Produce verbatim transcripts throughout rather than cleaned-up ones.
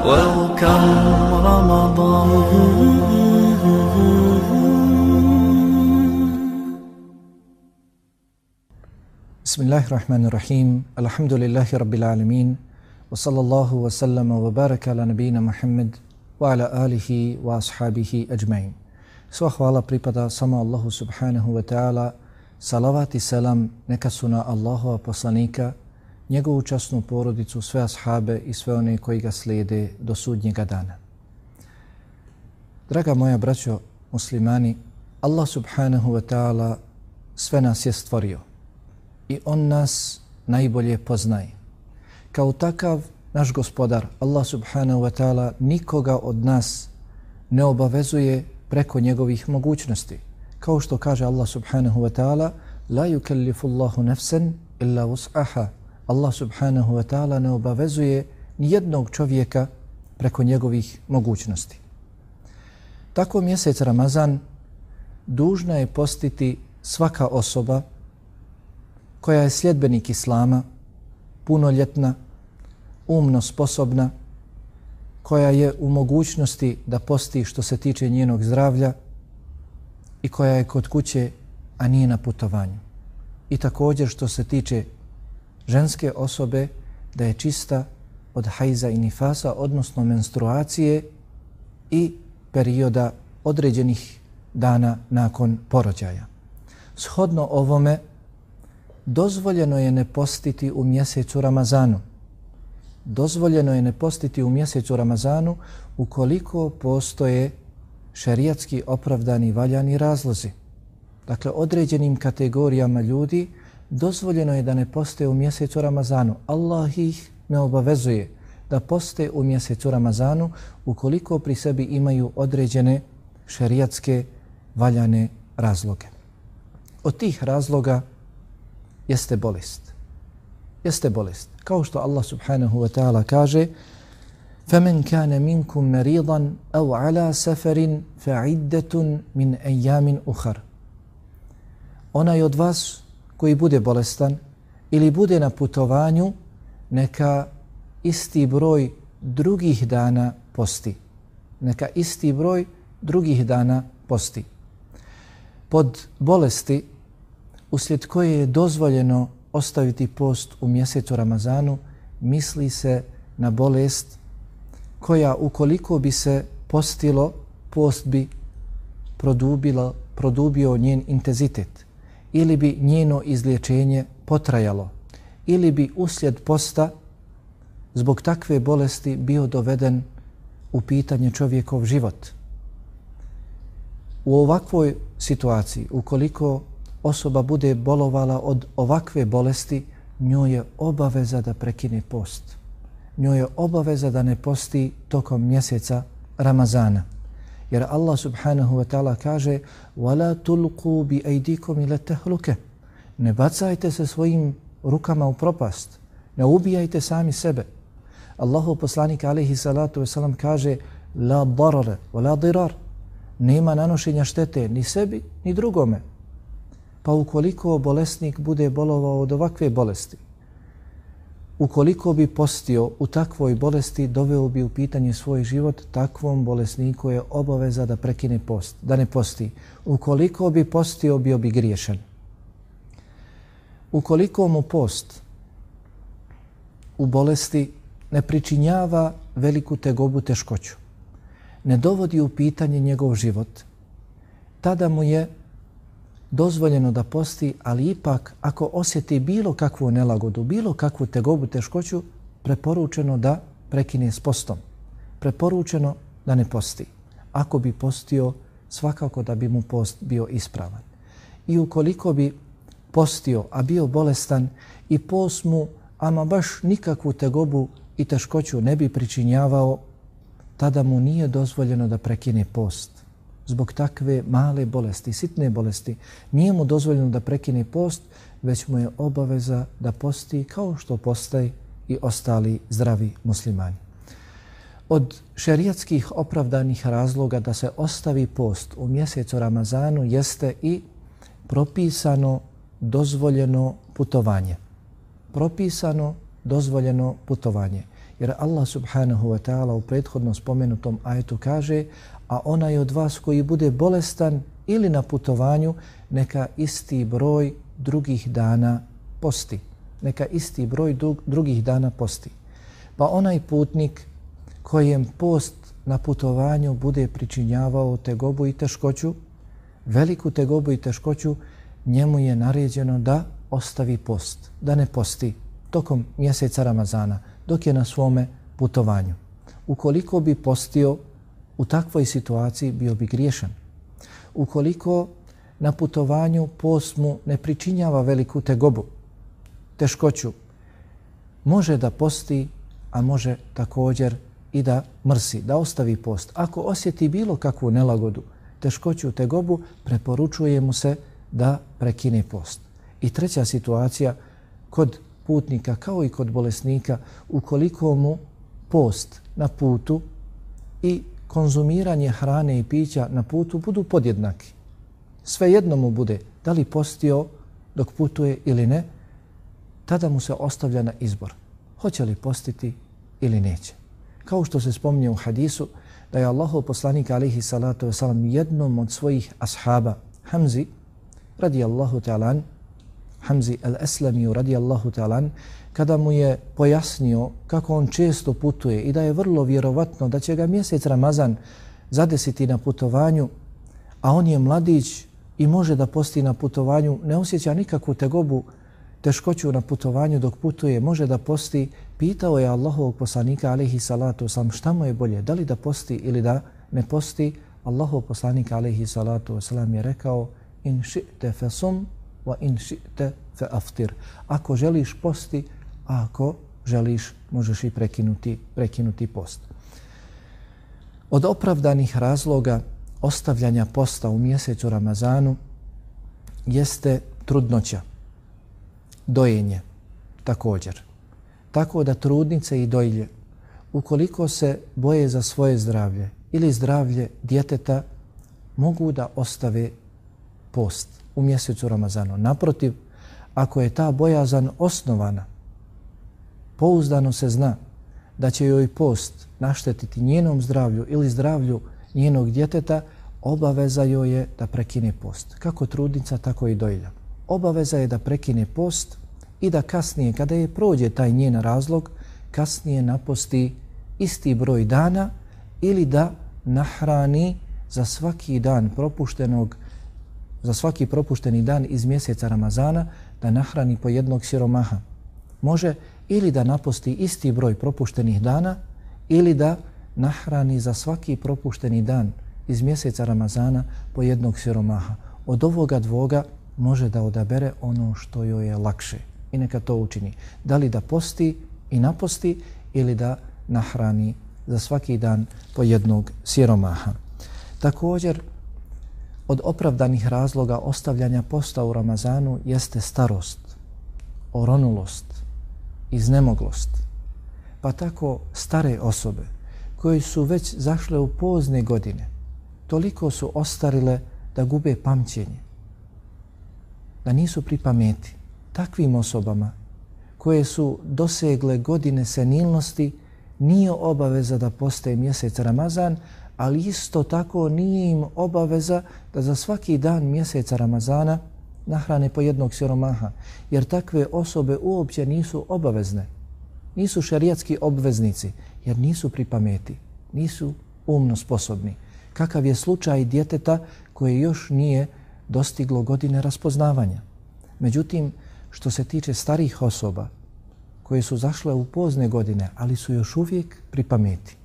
Welcome Ramadan. Bismillahirrahmanirrahim. Alhamdulillahi rabbil alamin. Wa sallallahu wa sallama wa baraka ala nabina Muhammad wa ala alihi wa ashabihi ajma'in. Sva hvala pripada samo Allahu subhanahu wa ta'ala. Salavat i selam neka su na Allahova poslanika, njegovu časnu porodicu, sve ashabe i sve one koji ga slijede do sudnjega dana. Draga moja braćo muslimani, Allah subhanahu wa ta'ala sve nas je stvorio i on nas najbolje poznaje. Kao takav naš gospodar Allah subhanahu wa ta'ala nikoga od nas ne obavezuje preko njegovih mogućnosti. Kao što kaže Allah subhanahu wa ta'ala, la yukallifu Allahu nafsan illa wus'aha. Allah subhanahu wa ta'ala ne obavezuje nijednog čovjeka preko njegovih mogućnosti. Tako mjesec Ramazan dužna je postiti svaka osoba koja je sljedbenik Islama, punoljetna, umno sposobna, koja je u mogućnosti da posti što se tiče njenog zdravlja i koja je kod kuće, a nije na putovanju. I također što se tiče ženske osobe, da je čista od hajza i nifasa, odnosno menstruacije i perioda određenih dana nakon porođaja. Shodno ovome, dozvoljeno je ne postiti u mjesecu Ramazanu. Dozvoljeno je ne postiti u mjesecu Ramazanu ukoliko postoje šerijatski opravdani valjani razlozi. Dakle, određenim kategorijama ljudi dozvoljeno je da ne poste u mjesecu Ramazanu. Allah ih ne obavezuje da poste u mjesecu Ramazanu ukoliko pri sebi imaju određene šerijatske valjane razloge. Od tih razloga jeste bolest. Jeste bolest. Kao što Allah subhanahu wa ta'ala kaže فَمَنْ كَانَ مِنْكُمْ مَرِيضًا أَوْ عَلَى سَفَرٍ فَعِدَّةٌ مِنْ أَيَّامٍ أُخَرٍ. Onaj od vas koji bude bolestan ili bude na putovanju, neka isti broj drugih dana posti. Neka isti broj drugih dana posti. Pod bolesti uslijed koje je dozvoljeno ostaviti post u mjesecu Ramazanu, misli se na bolest koja ukoliko bi se postilo, post bi produbilo, produbio njen intenzitet ili bi njeno izliječenje potrajalo ili bi uslijed posta zbog takve bolesti bio doveden u pitanje čovjekov život. U ovakvoj situaciji, ukoliko osoba bude bolovala od ovakve bolesti, njoj je obaveza da prekine post. Njoj je obaveza da ne posti tokom mjeseca Ramazana. Jer Allah subhanahu wa ta'ala kaže وَلَا تُلْقُوا بِأَيْدِيكُمْ إِلَى تَهْلُكَ. Ne bacajte se svojim rukama u propast. Ne ubijajte sami sebe. Allahu poslanik alejhi salatu vesselam kaže la darara wala dirar. Nema nanošenja štete ni sebi ni drugome. Pa ukoliko bolesnik bude bolovao od ovakve bolesti, ukoliko bi postio u takvoj bolesti, doveo bi u pitanje svoj život, takvom bolesniku je obaveza da prekine post, da ne posti. Ukoliko bi postio, bio bi griješan. Ukoliko mu post u bolesti ne pričinjava veliku tegobu, teškoću, ne dovodi u pitanje njegov život, tada mu je dozvoljeno da posti, ali ipak ako osjeti bilo kakvu nelagodu, bilo kakvu tegobu, teškoću, preporučeno da prekine s postom. Preporučeno da ne posti. Ako bi postio, svakako da bi mu post bio ispravan. I ukoliko bi postio, a bio bolestan i post mu ama baš nikakvu tegobu i teškoću ne bi pričinjavao, tada mu nije dozvoljeno da prekine post. Zbog takve male bolesti, sitne bolesti, nije mu dozvoljeno da prekine post, već mu je obaveza da posti kao što postaje i ostali zdravi muslimani. Od šerijatskih opravdanih razloga da se ostavi post u mjesecu Ramazanu jeste i propisano dozvoljeno putovanje. Propisano dozvoljeno putovanje. Jer Allah subhanahu wa ta'ala u prethodno spomenutom ajetu kaže: a onaj od vas koji bude bolestan ili na putovanju, neka isti broj drugih dana posti. Neka isti broj drugih dana posti. Pa onaj putnik kojem post na putovanju bude pričinjavao tegobu i teškoću, veliku tegobu i teškoću, njemu je naređeno da ostavi post, da ne posti tokom mjeseca Ramazana, dok je na svome putovanju. Ukoliko bi postio u takvoj situaciji, bio bi griješan. Ukoliko na putovanju post mu ne pričinjava veliku tegobu, teškoću, može da posti, a može također i da mrsi, da ostavi post. Ako osjeti bilo kakvu nelagodu, teškoću, tegobu, preporučuje mu se da prekine post. I treća situacija, kod putnika kao i kod bolesnika, ukoliko mu post na putu i konzumiranje hrane i pića na putu budu podjednaki, svejedno mu bude da li postio dok putuje ili ne, tada mu se ostavlja na izbor. Hoće li postiti ili neće. Kao što se spominje u hadisu da je Allahov poslanik alejhi salatu vesselam jednom od svojih ashaba, Hamzi radijallahu ta'ala, Hamzi al-Aslami radijallahu ta'ala, kada mu je pojasnio kako on često putuje i da je vrlo vjerovatno da će ga mjesec Ramazan zadesiti na putovanju, a on je mladić i može da posti na putovanju, ne osjeća nikakvu tegobu, teškoću na putovanju dok putuje, može da posti, pitao je Allahovog poslanika alejhi salatu vesselam šta mu je bolje, da li da posti ili da ne posti. Allahov poslanik alejhi salatu vesselam je rekao: in ši'te fasum wa in ši'te fa aftir. Ako želiš posti, a ako želiš možeš i prekinuti, prekinuti post. Od opravdanih razloga ostavljanja posta u mjesecu Ramazanu jeste trudnoća, dojenje također. Tako da trudnice i dojilje, ukoliko se boje za svoje zdravlje ili zdravlje djeteta, mogu da ostave post u mjesecu Ramazanu. Naprotiv, ako je ta bojazan osnovana, pouzdano se zna da će joj post naštetiti njenom zdravlju ili zdravlju njenog djeteta, obaveza joj je da prekine post. Kako trudnica, tako i dojilja. Obaveza je da prekine post i da kasnije, kada je prođe taj njen razlog, kasnije naposti isti broj dana ili da nahrani za svaki dan propuštenog, za svaki propušteni dan iz mjeseca Ramazana, da nahrani po jednog siromaha. Može ili da naposti isti broj propuštenih dana ili da nahrani za svaki propušteni dan iz mjeseca Ramazana po jednog siromaha. Od ovoga dvoga može da odabere ono što joj je lakše i neka to učini. Da li da posti i naposti ili da nahrani za svaki dan po jednog siromaha. Također, od opravdanih razloga ostavljanja posta u Ramazanu jeste starost, oronulost, iznemoglost. Pa tako stare osobe koje su već zašle u pozne godine, toliko su ostarile da gube pamćenje, da nisu pri pameti. Takvim osobama koje su dosegle godine senilnosti nije obaveza da poste mjesec Ramazan, ali isto tako nije im obaveza da za svaki dan mjeseca Ramazana nahrane po jednog siromaha, jer takve osobe uopće nisu obavezne, nisu šerijatski obveznici, jer nisu pri pameti, nisu umno sposobni. Kakav je slučaj djeteta koje još nije dostiglo godine raspoznavanja. Međutim, što se tiče starih osoba koje su zašle u pozne godine, ali su još uvijek pri pameti,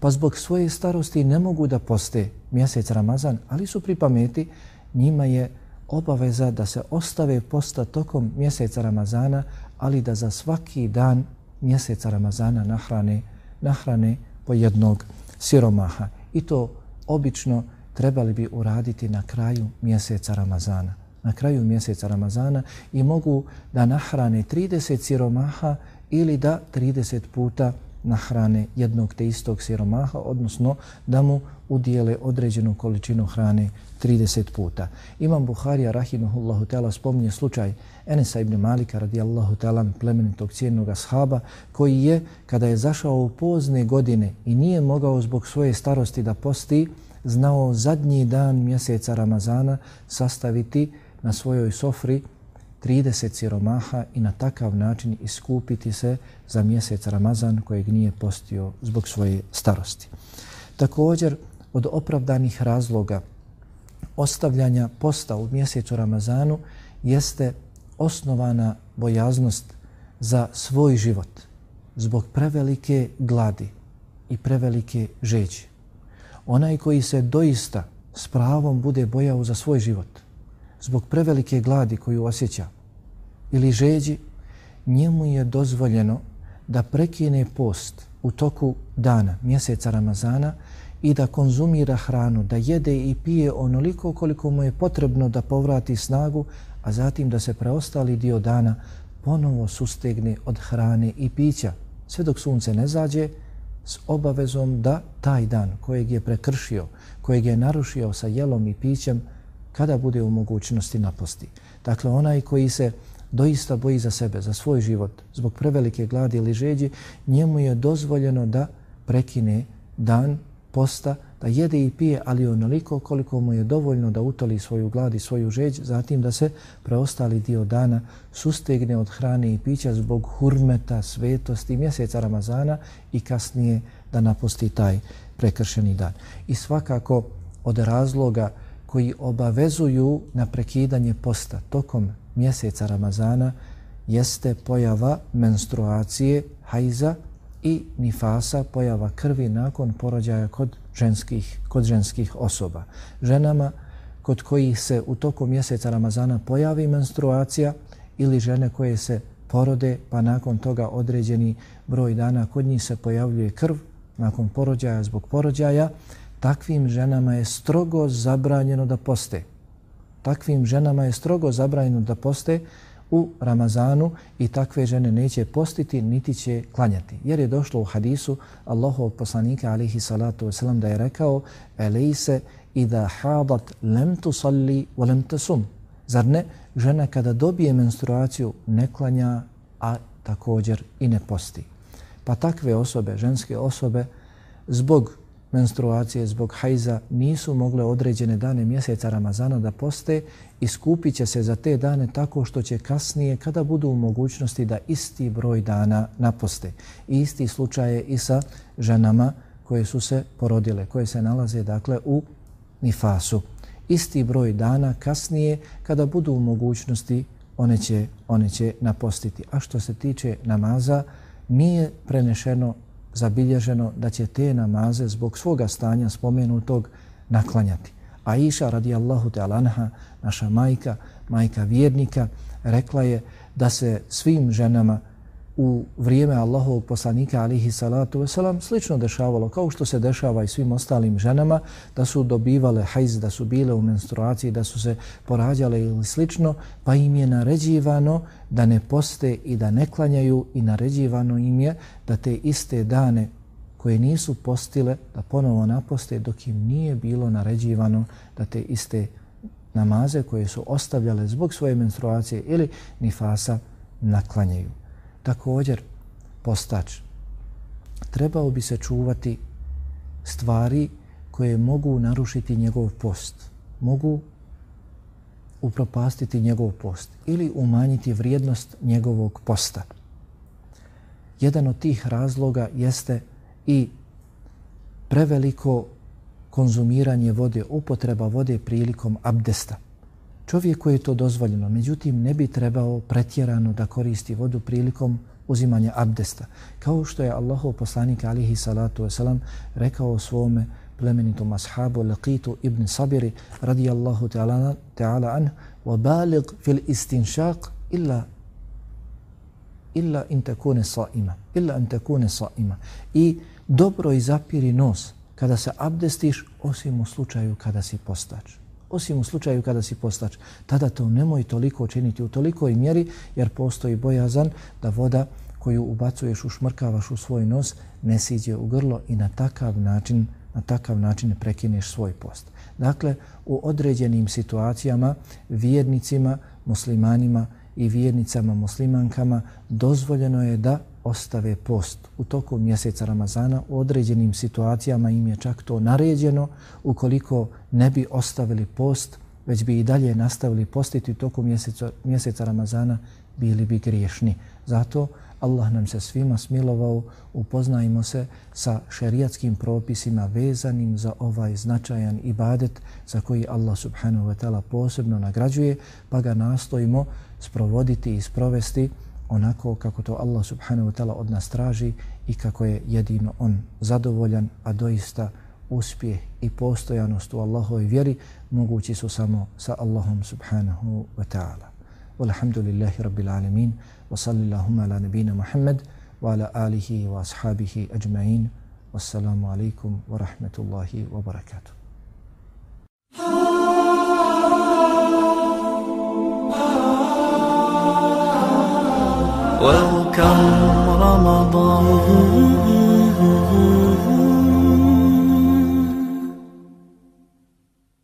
pa zbog svoje starosti ne mogu da poste mjesec Ramazan, ali su pri pameti, njima je obaveza da se ostave posta tokom mjeseca Ramazana, ali da za svaki dan mjeseca Ramazana nahrane, nahrane po jednog siromaha. I to obično trebali bi uraditi na kraju mjeseca Ramazana. Na kraju mjeseca Ramazana i mogu da nahrane trideset siromaha ili da trideset puta nahrane jednog te istog siromaha, odnosno da mu udijele određenu količinu hrane trideset puta. Imam Buharija rahimahullahu ta'ala spominje slučaj Enesa ibn Malika radijallahu ta'ala, plemenitog cijennog ashaba, koji je, kada je zašao u pozne godine i nije mogao zbog svoje starosti da posti, znao zadnji dan mjeseca Ramazana sastaviti na svojoj sofri trideset siromaha i na takav način iskupiti se za mjesec Ramazan kojeg nije postio zbog svoje starosti. Također, od opravdanih razloga ostavljanja posta u mjesecu Ramazanu jeste osnovana bojaznost za svoj život zbog prevelike gladi i prevelike žeđi. Onaj koji se doista s pravom bude bojao za svoj život zbog prevelike gladi koju osjeća ili žeđi, njemu je dozvoljeno da prekine post u toku dana, mjeseca Ramazana, i da konzumira hranu, da jede i pije onoliko koliko mu je potrebno da povrati snagu, a zatim da se preostali dio dana ponovo sustegne od hrane i pića, sve dok sunce ne zađe, s obavezom da taj dan kojeg je prekršio, kojeg je narušio sa jelom i pićem, kada bude u mogućnosti naposti. Dakle, onaj koji se doista boji za sebe, za svoj život, zbog prevelike gladi ili žeđi, njemu je dozvoljeno da prekine dan posta, da jede i pije, ali onoliko koliko mu je dovoljno da utoli svoju glad i svoju žeđ, zatim da se preostali dio dana sustegne od hrane i pića zbog hurmeta, svetosti mjeseca Ramazana i kasnije da napusti taj prekršeni dan. I svakako od razloga koji obavezuju na prekidanje posta tokom mjeseca Ramazana jeste pojava menstruacije, hajza i nifasa, pojava krvi nakon porođaja kod ženskih, kod ženskih osoba. Ženama kod kojih se u toku mjeseca Ramazana pojavi menstruacija ili žene koje se porode pa nakon toga određeni broj dana kod njih se pojavljuje krv nakon porođaja zbog porođaja, takvim ženama je strogo zabranjeno da poste. Takvim ženama je strogo zabranjeno da poste u Ramazanu i takve žene neće postiti niti će klanjati. Jer je došlo u hadisu Allahovog poslanika alejhi salatu vesselam da je rekao: "Elejse idha hadat lam tusalli wa lam tasum." Zar ne, žena kada dobije menstruaciju ne klanja, a također i ne posti. Pa takve osobe, ženske osobe, zbog menstruacije, zbog hajza nisu mogle određene dane mjeseca Ramazana da poste i skupit će se za te dane tako što će kasnije, kada budu u mogućnosti, da isti broj dana naposte. I isti slučaj je i sa ženama koje su se porodile, koje se nalaze dakle u nifasu. Isti broj dana kasnije, kada budu u mogućnosti, one će, one će napostiti. A što se tiče namaza, nije prenešeno, zabilježeno da će te namaze zbog svoga stanja spomenutog naklanjati. Aisha radijallahu ta'ala anha, naša majka, majka vjernika, rekla je da se svim ženama u vrijeme Allahovog poslanika alejhi salatu vesselam slično dešavalo kao što se dešava i svim ostalim ženama, da su dobivale hajz, da su bile u menstruaciji, da su se porađale ili slično, pa im je naređivano da ne poste i da ne klanjaju i naređivano im je da te iste dane koje nisu postile da ponovo naposte, dok im nije bilo naređivano da te iste namaze koje su ostavljale zbog svoje menstruacije ili nifasa naklanjaju. Također, postač trebao bi se čuvati stvari koje mogu narušiti njegov post, mogu upropastiti njegov post ili umanjiti vrijednost njegovog posta. Jedan od tih razloga jeste i preveliko konzumiranje vode, upotreba vode prilikom abdesta. Čovjeku je to dozvoljeno, međutim ne bi trebao pretjerano da koristi vodu prilikom uzimanja abdesta. Kao što je Allahov poslanik alejhi salatu vesselam rekao svome plemenitom ashabu Laqitu ibn Sabiri radijallahu ta'ala ta'ala an وَبَالِغْ فِي الْإِسْتِنْشَاقِ إِلَّا illa in takune saima, illa an takune saima. I dobro izapiri nos kada se abdestiš, osim u slučaju kada si postač. Osim u slučaju kada si postač. Tada to nemoj toliko činiti u tolikoj mjeri, jer postoji bojazan da voda koju ubacuješ, ušmrkavaš u svoj nos, ne siđe u grlo i na takav način, na takav način prekineš svoj post. Dakle, u određenim situacijama vjernicima, muslimanima i vjernicama muslimankama dozvoljeno je da ostave post u toku mjeseca Ramazana. U određenim situacijama im je čak to naređeno. Ukoliko ne bi ostavili post, već bi i dalje nastavili postiti u toku mjeseca, mjeseca Ramazana, bili bi griješni. Zato Allah nam se svima smilovao, upoznajmo se sa šerijatskim propisima vezanim za ovaj značajan ibadet za koji Allah subhanahu wa ta'ala posebno nagrađuje, pa ga nastojimo sprovoditi i sprovesti onako kako to Allah subhanahu wa ta'ala od nas traži i kako je jedino on zadovoljan, a doista uspjeh i postojanost u Allahovoj vjeri mogući su samo sa Allahom subhanahu wa ta'ala. Walhamdulillahi rabbil alamin wa sallallahu ala nabina Muhammad wa ala alihi wa ashabihi ajma'in. Wassalamu alaikum wa rahmatullahi wa barakatuh. Welcome Ramadan.